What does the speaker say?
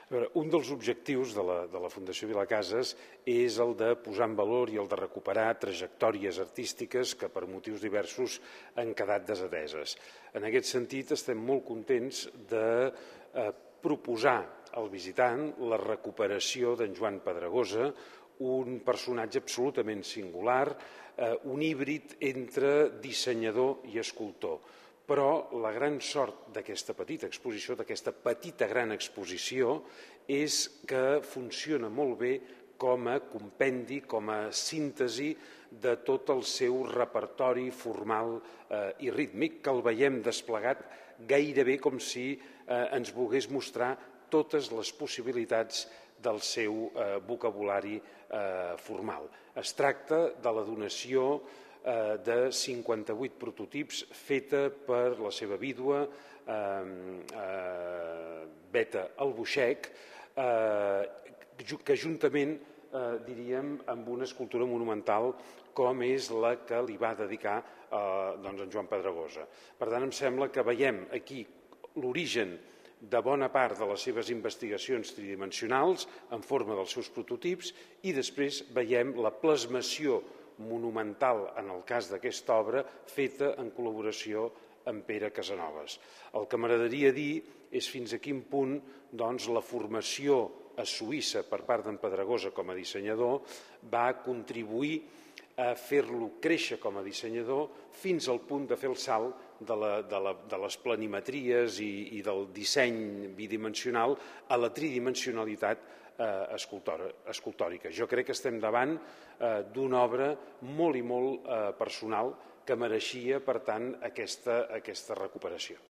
Un dels objectius de la Fundació Vilacases és el de posar en valor i el de recuperar trajectòries artístiques que per motius diversos han quedat desateses. En aquest sentit, estem molt contents de proposar al visitant la recuperació d'en Joan Pedragosa, un personatge absolutament singular, un híbrid entre dissenyador i escultor. Però la gran sort d'aquesta petita exposició, d'aquesta petita gran exposició, és que funciona molt bé com a compendi, com a síntesi de tot el seu repertori formal i rítmic, que el veiem desplegat gairebé com si ens volgués mostrar totes les possibilitats del seu vocabulari formal. Es tracta de la donació de 58 prototips feta per la seva vídua, Beta Albuixec, que juntament, diríem, amb una escultura monumental com és la que li va dedicar en Joan Pedragosa. Per tant, em sembla que veiem aquí l'origen de bona part de les seves investigacions tridimensionals en forma dels seus prototips i després veiem la plasmació monumental, en el cas d'aquesta obra, feta en col·laboració amb Pere Casanovas. El que m'agradaria dir és fins a quin punt la formació a Suïssa per part d'en Pedragosa com a dissenyador va contribuir a fer-lo créixer com a dissenyador fins al punt de fer el salt de les planimetries i del disseny bidimensional a la tridimensionalitat escultòrica. Jo crec que estem davant d'una obra molt i molt personal que mereixia, per tant, aquesta recuperació.